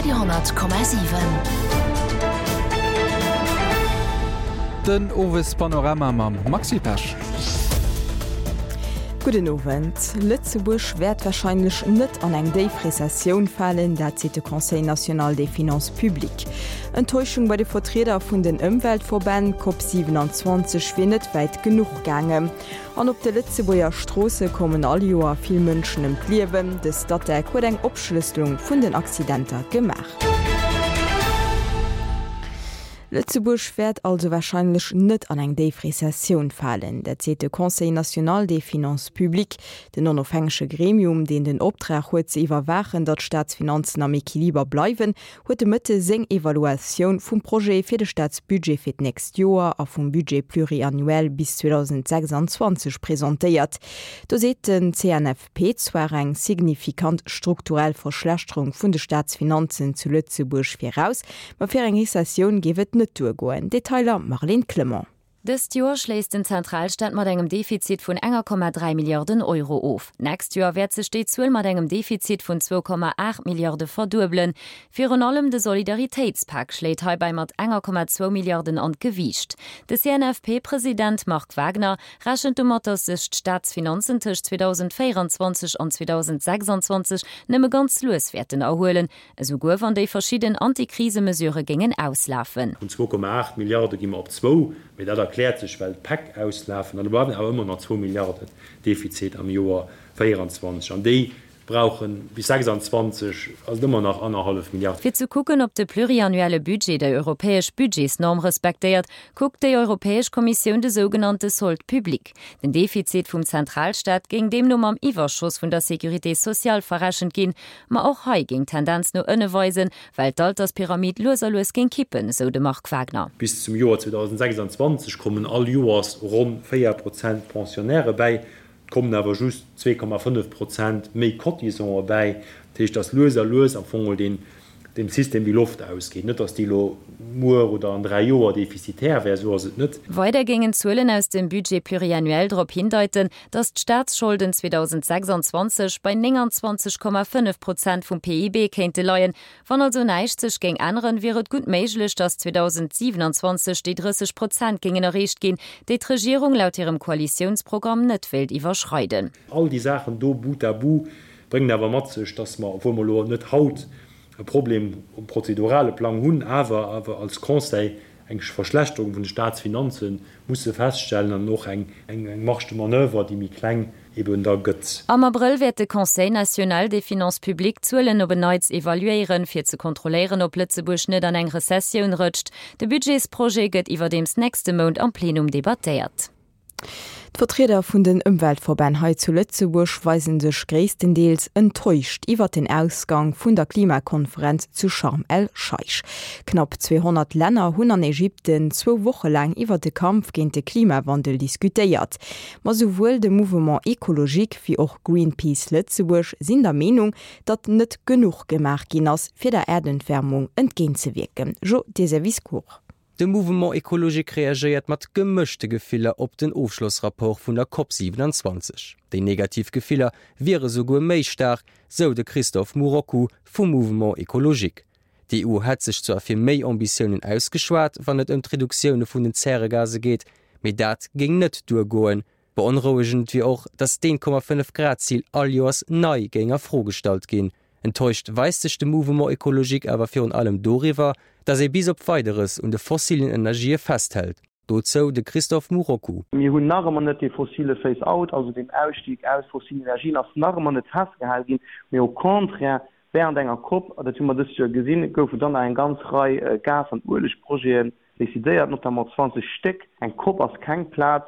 Radio,7. Den Owespanorama mam Maxi Pesch. Gudden Owend. Lëtzebuerg wäert warscheinlech net an eng déif Rezessioun falen, dat seet de Conseil national des finances publiques. Enttäuschung bei de Vertrieder vun den Ëmweltverbänn, D'Cop 27 wier net wäit genuch gaangen. An op de Lëtzebuerger Stroosse kommen all Joer vill Mënschen ëm d'Liewen. De Statec huet eng Opschlësselung vun den Accidenter gemaach. Lëtzebuerg wäert also warscheinlech net an eng déif Rezessioun falen. Dat seet de Conseil national des finances publiques, den onofhängege Gremium, deen den Optrag huet ze iwwerwaachen, datt d'Staatsfinanzen am Equiliber bleiwen, huet de Mëtte seng Evaluatioun vum Projet fir de Staatsbudget fir d'nächst Joer a vum Budget pluriannuel bis 2026 presentéiert. Do seet den CNFP zwar eng signifikant strukturell Verschlechterung vun de Staatsfinanzen zu Lëtzebuerg viraus, ma fir eng Rezessioun géif et net duergoen. Detailer Marlène Clement. Dëst Joer schléisst den Zentralstaat mat engem Defizit vun enger Komma 3 Milliarden Euro of. D'nächst Joer wäert sech déi Zuel mat engem Defizit vun 2,8 Milliarde verduebelen. Virun allem de Solidaritéitspak schléit heibäi mat enger Komma zwou Milliarden an d'Gewiicht. De CNFP-President Marc Wagner rechent domat, datt sech d'Staatsfinanzen tëscht 2024 an 2026 nëmme ganz lues wäerten erhuelen, Esouguer wann déi verschidden Antikrisemesure géingen auslafen. Vun 2,8 Milliarde gi mer op zwou, mee dat erkläert sech, well d'Päck auslafen. An da bleiwen awer ëmmer nach zwou Milliarden Defizit am Joer 24 an déi brauchen bis 26 ass et ëmmer nach annerhallef Milliard. Fir ze kucken, ob de pluriannuelle Budget déi europäesch Budgetsnorm respektéiert, kuckt déi Europäesch Kommissioun de sougenannte Solde public. Den Defizit vum Zentralstaat géing deemno mam Iwwerschoss vun der Sécurité sociale verrechent ginn. Ma och hei géing d'Tendenz no ënne weisen, well d'Alterspyramid lues a lues géing kippen, esou de Marc Wagner. Bis zum Joer 2026 kommen all Joers ronn 4 Prozent Pensionnairë bäi. Et kommen awer just 2,5 Prozent méi Cotisantë bäi. Dat heescht, datt lues a lues am Fong deen dem System déi Loft ausgeet. Net, datt déi elo muer oder an 3 Joer defizitär wär, esou ass et net. Weider géingen d'Zuelen aus dem Budget pluriannuel drop hindeiten, datt d'Staatsscholden 2026 bei 29,5 Prozent vum PIB kéinte leien. Wann also näischt sech géing änneren, wier et gutt méiglech, datt 2027 déi 30 Prozent géingen erreecht ginn, déi d'Regierung laut hirem Koalitiounsprogramm net wéilt iwwerschreiden. All déi Saachen do bout à bout bréngen awer mat sech, datt mer, obwuel mer elo net haut e Problem um prozedurale Plang hunn, awer awer als Conseil eng Verschlechterung vun de Staatsfinanze musse feststellen an och eng Marge de manoeuvre, déi méi kleng eben da gëtt. Am Abrëll wäert de Conseil national des finances publiques d'Zuelen op en Neits evaluéieren, fir ze kontrolléieren, ob Lëtzebuerg net an eng Rezessioun rëtscht. De Budgetsprojet gëtt iwwerdeems nächste Mount am Plenum debattéiert. D'Vertrieder vun den Ëmweltverbänn hei zu Lëtzebuerg weise sech gréisstendeels enttäuscht iwwert den Ausgang vun der Klimakonferenz zu Scharm el-Scheich. Knapp 200 Länner hunn an Ägypten zwou Woche laang iwwert de Kampf géint de Klimawandel diskutéiert. Ma souwuel de Mouvement Ecologique wéi och Greenpeace Lëtzebuerg sinn der Meenung, datt net genuch gemaach ginn ass, fir der Äerderwärmung entgéintzewierken. Jo Deserviscourt. De Mouvement Ecologique reagéiert mat gemëschte Gefiller op den Ofschlossrapport vun der Cop 27. Déi negativ Gefiller wiere souguer méi staark, sou de Christophe Murroccu vum Mouvement Ecologique. D'EU hätt sech zwar fir méi Ambitiounen ausgeschwat, wann et ëm d'Reduktioune vun den Zäregase geet, mee dat géing net duergoen. Beonrouegend wier och, datt d'Eent-Komma-fënnef Grad-Zil all Joers nei géing a Fro gestallt ginn. Enttäuscht weist sech de Mouvement Ecologique awer virun allem doriwwer, datt ee bis op Weideres un de fossilen Energië festhält. Dozou de Christophe Murroccu. Mir hunn nach ëmmer net dee fossile Phase-out, also deen Ausstig aus fossilen Energien ass nach ëmmer net festgehal ginn, mee au contraire, während enger Cop, a dat hu mer dëst Joer gesinn, goufen dann nach eng ganz Rei Gas an Uelegprojeten decidéiert, notamment 20 Stéck. Eng Cop ass keng Plaz,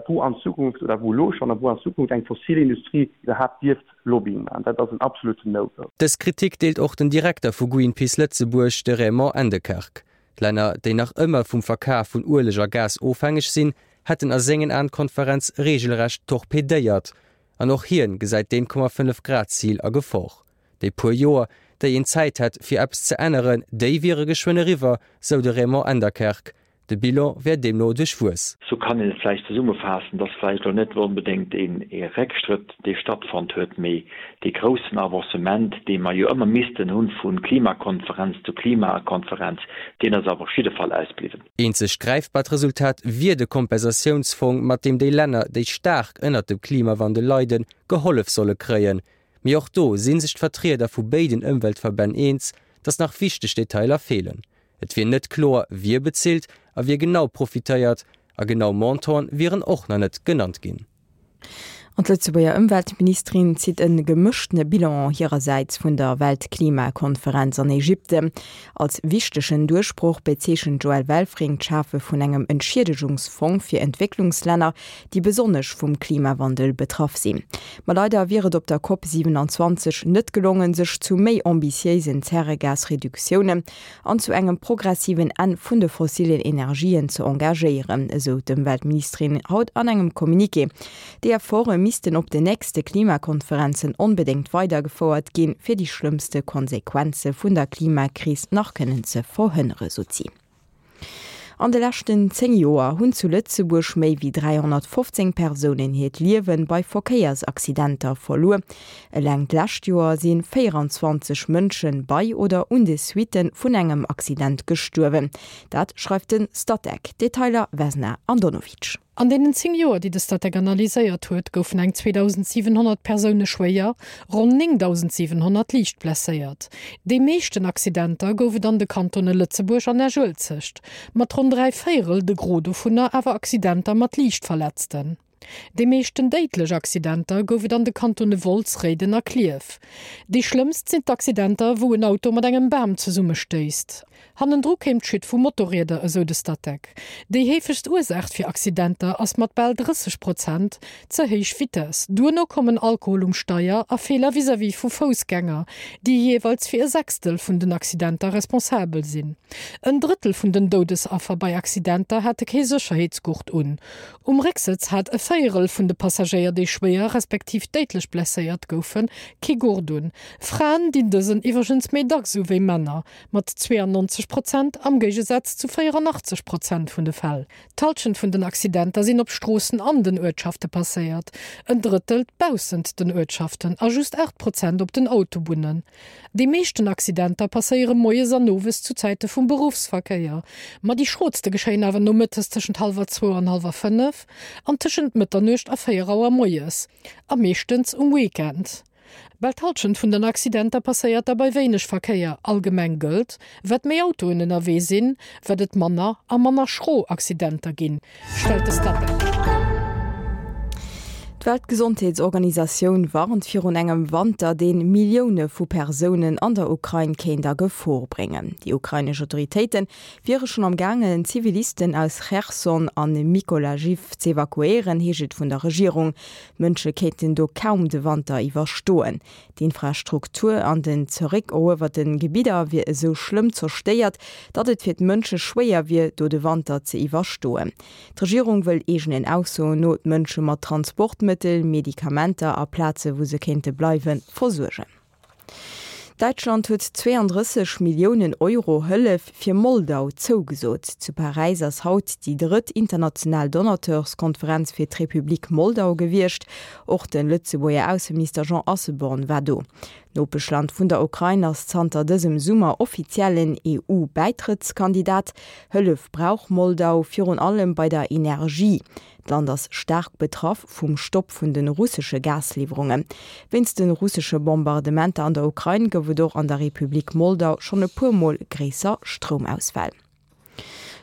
wou an Zukunft, oder wou elo schonn, a wou an Zukunft eng fossil Industrie iwwerhaapt dierft Lobbying maachen. Dat ass en absoluten No-Go. Dës Kritik deelt och den Direkter vu Greenpeace Lëtzebuerg, de Raymond Endekerk. D'Länner, déi nach ëmmer vum Verkaf vun Ueleg a Gas ofhängeg sinn, hätten a sengen Aen d'Konferenz reegelrecht torpedéiert. An och hien gesäit d'Eent-Komma-fënnef Grad-Zil a Gefor. Déi puer Joer, déi een Zäit hätt, fir eppes ze änneren, déi wiere geschwënn eriwwer, sou de Raymond Enderkerk. De Bilan wär deemno duerchwuess. Sou kann een et vläicht zesummefaassen, dass vläicht elo net onbedéngt ee Réckschrëtt, dee stattfonnt huet, mee dee groussen Avancement, dee mer jo ëmmer missten hunn vu Klimakonferenz zu Klimakonferenz, deen ass awer op jidde Fall ausbliwwen. Eenzegt gräifbart Resultat wier de Kompensatiounsfong, mat deem déi Länner, déi staark ënnert dem Klimawandel leiden, gehollef solle kréien. Mee och do si sech d'Vertrieder vu béiden Ëmweltverbänn eens, datt nach wichteg Detailer feelen. Et wier net kloer, wie bezilt a wie genau profitéiert, a genau Montanten wieren och nach net genannt ginn. An d'Lëtzebuerger Ëmweltministerin zitt e gemëschtene Bilan hirersäits vun der Weltklimakonferenz an Ägypten. Als wichtegen Duerchbroch bezeechent d'Joëlle Welfring d'Schafe vun engem Entschiedegungsfong fir Entwécklungslänner, déi besonnesch vum Klimawandel betraff sinn. Ma leider wier et op der Cop 27 net gelongen, sech zu méi ambitiéisen Zäregasreduktiounen an zu engem progressiven Enn vun de fossillen Energien ze engagéieren, esou d'Ëmweltministerin haut an engem Communiqué. Déi Efforte missten op den nächste Klimakonferenzen onbedéngt weidergefouert ginn, fir déi schlëmmste Konsequenze vun der Klimakris nach kënnen ze verhënnere, sot si. An de leschten 10 Joer hunn zu Lëtzebuerg méi wéi 315 Persounen hiert Liewe bei Verkéiersaccidenter verluer. Eleng d'lescht Joer si 24 Mënsche bei oder un de Suitte vun engem Accident gestuerwen. Dat schreift de Statec. Detailer Vesna Andonovic. An deenen 10 Joer, déi de Statec analyséiert huet, goufen eng 2.700 Persoune schwéier, ronn 9.700 liicht blesséiert. Déi meeschten Accidenter gouf et an de Kantone Lëtzebuerg an Esch-Uelzecht, mat ronn 3 Véierel, de Gros dovunner awer Accidenter mat liicht Verletzten. Déi meeschten déidlech Accidenter gouf et an de Kantone Wolz, Réiden a Klierf. Déi schlëmmst sinn d'Accidenter, wou en Auto mat engem Bam zesummestéisst. Hannendru kéim d'Chute vu Motorrieder, esou de Statec. Déi heefegst Ursaach fir Accidenter ass mat bal 30 Prozent ze héich Vitess. Duerno kommen Alkohol um Steier a Feeler vis-à-vis vu Foussgänger, déi jeeweils fir e Sechstel vun den Accidenter responsabel sinn. En Drëttel vun den Doudesaffer bei Accidenter hate kee Sécherheetsgurt un. Um Récksëtz hat e Véierel vun de Passagéier, déi schwéier respektiv déidlech blesséiert goufen, kee Gurt un. Fraen dinn dësen iwwregens méi dacks u wéi Männer. Mat 92 Prozent am Géigesaz zu 84 Prozent vun de Fäll. D'Hallschent vun den Accidenter sinn op Stroossen an den Uertschafte passéiert, en Drëttel baussent den Uertschaften a just 8 Prozent op den Autobunnen. Déi meeschten Accidenter passéiere moies an owes zu Zäite vum Beruffsverkéier, ma déi schrootste geschéien awer nomëttes tëschent hallwer zwou an hallwer 5 an tëschent Mëtternuecht a 4 Auer moies a meeschtens um Weekend. Bal d'Hallschent vun den Accidenter passéiert da bei wéineg Verkéier. Allgemeng gëllt, Wat méi Autoen ënnerwee sinn, wat et manner a manner schro Accidenter ginn, stellt de Statec. D'Weltgesondheetsorganisatioun warnt virun engem Wanter, dee Millioune vu Persounen an der Ukrain kéint a Gefor bréngen. Déi ukrainesch Autoritéite wiere schonn am gaangen, Zivilisten aus Cherson a Mykolajiw z'evakuéieren, heescht et vun der Regierung. D'Mënsche kéinten do kaum de Wanter iwwerstoen. D'Infrastruktur an den zeréckeruewerte Gebidder wier esou schlëmm zerstéiert, datt et fir d'Mënsche schwéier wier, do de Wanter ze iwwerstoen. D'Regierung wëll eegenen Aussoen no d'Mënsche mat Transportmëttel, Medikamenter a Plaze wou se kéinte bleiwen, versuergen. Däitschland huet 32 Milliounen Euro Hëllef fir Moldau zougesot. Zu Paräis ass haut déi drëtt international Donateurskonferenz fir d'Republik Moldau gewiescht. Och de Lëtzebuerger Ausseminister Jean Asselborn war do. D'Nopeschland vun der Ukrain ass zanter dësem Summer offiziellen EU-Bäitrëttskandidat. Hëllef brauch Moldau virun allem bei der Energie. D'Land ass staark betraff vum Stopp vun de russesche Gasliwwerungen. Wéinst de russesche Bombardementer an der Ukrain gouf et och an der Republik Moldau schonn e puer Mol gréisser Stroumausfäll.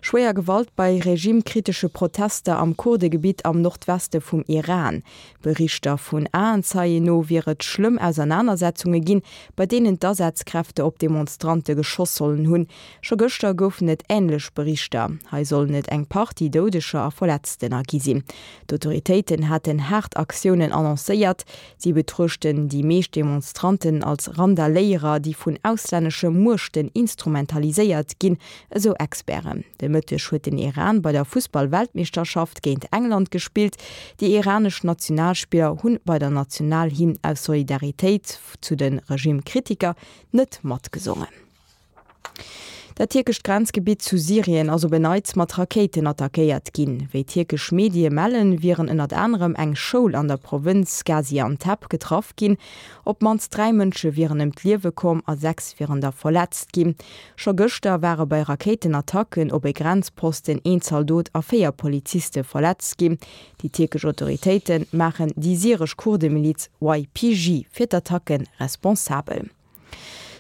Schwéier Gewalt bei regimekritesche Protester am Kurdegebitt am Nordweste vum Iran. Berichter vun Aenzeien no wier et schlëmm Ausernanersetzunge ginn, bei deenen d'Asazkräfte op Demonstrante geschoss sollen hunn. Scho gëschter goufen et änlech Berichter. Hei sollen et eng Partie Doudeger a Verletztener gi sinn. D'Autoritéiten haten haart Aktiounen annoncéiert. Si betruechten déi meescht Demonstranten als Randaléierer, déi vun auslännesche Muechten instrumentaliséiert ginn, esou Experten. De Mëtteg huet den Iran bei der Fussball-Weltmeeschterschaft géint England gespillt. Déi iranesch Nationalspiller hunn bei der Nationalhymn aus Solidaritéit zu de Regimekritiker net matgesongen. Dat tierkescht Grenzgebitt zu Syrien ass op en Neits mat Rakéiten attackéiert ginn. Wéi tierkesch Medie mellen, wieren ënnert anerem eng Schoul an der Provënz Gaziantep getraff ginn. Op d'mannst 3 Mënsche wieren ëm d'Liewe komm a 6 wieren der verletzt ginn. Scho gëschter ware bei Rakéitenattacken op e Grenzposten een Zaldot a 4 Poliziste verletzt ginn. Déi tierkesch Autoritéite maachen déi syresch Kurdemiliz YPG fir d'Attacke responsabel.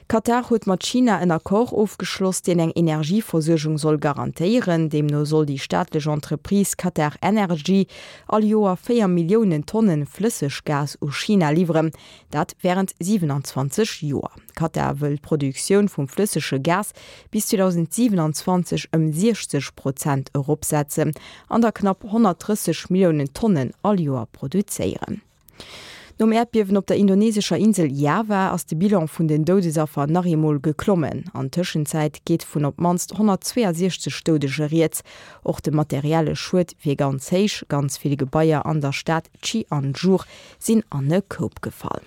Katar huet mat China en Accord ofgeschloss, deen eng Energieversuergung soll garantéieren. Deemno soll déi staatlech Entreprise Qatar Energy all Joer 4 Milliounen Tonne Flësseggas u China liwweren, dat wärend 27 Joer. Katar wëll d'Produktioun vum flëssege Gas bis 2027 ëm 60 Prozent eropsetzen an der knapp 130 Milliounen Tonnen all Joer produzéieren. Nom Äerdbiewen op der indonesescher Insel Java ass de Bilan vun den Doudesaffer nach eemol geklommen. An Tëschenzäit geet vun op d'mannst 162 Doudege rieds. Och de materielle Schued wier ganz héich. Ganz vill Gebaier an der Stad Cianjur sinn an e Koup gefall.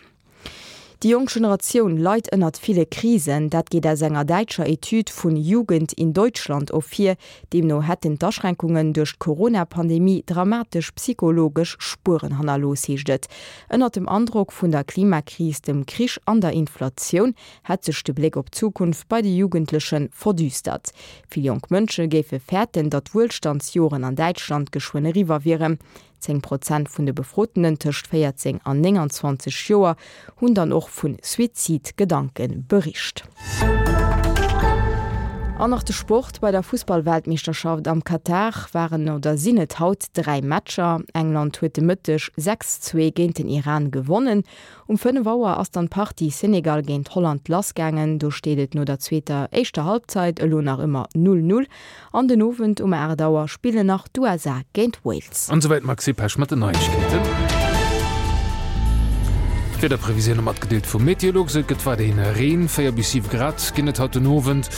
Déi jonk Generatioun leit ënnert ville Krisen. Dat geet aus enger däitscher Etüd vun Jugend in Deutschland ervir. Deemno hätten d'Aschränkungen duerch d'Corona-Pandemie dramatesch psychologesch Spueren hannerlooss, heescht et. Ënnert dem Androck vun der Klimakris, dem Krich an der Inflatioun hätt sech de Bléck op d'Zukunft bei de Jugendleche verdüstert. Vill jonk Mënsche géife fäerten, datt d'Wuelstandsjoren an Däitschland geschwënn eriwwer wieren. 10 Prozent vun de Befrotenen tëscht 14 an 29 Joer hunn dann och vu Suizid-Gedanke bericht. An nach de Sport, Bei der Fussball-Weltmeeschterschaft am Katar waren oder sinn et haut 3 Matcher. England huet de Mëtteg 6, 2 géint den Iran gewonnen. Um 5 Auer ass dann d'Partie Senegal géint Holland lassgaangen. Do steet et no der zweeter éischter Halbzeit elo nach ëmmer 0, 0. An den Owend um 8 Auer spillen nach d'USA géint Wales. An esouwäit d'Maxi Pesch mat den Neiegkeeten. D'Wiederprevisioune matgedeelt vum Meteolux, Et gëtt weiderhin Reen, 4 bis 7 Grad ginn et haut den Owend.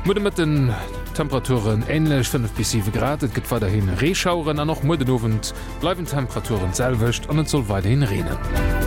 Muer de Mëtten d'Temperaturen änlech, 5 bis 7 Grad. Et gëtt weiderhi Reeschaueren an och muer den Owend bleiwen d'Temperaturen d'selwecht an et soll weiderhin reenen.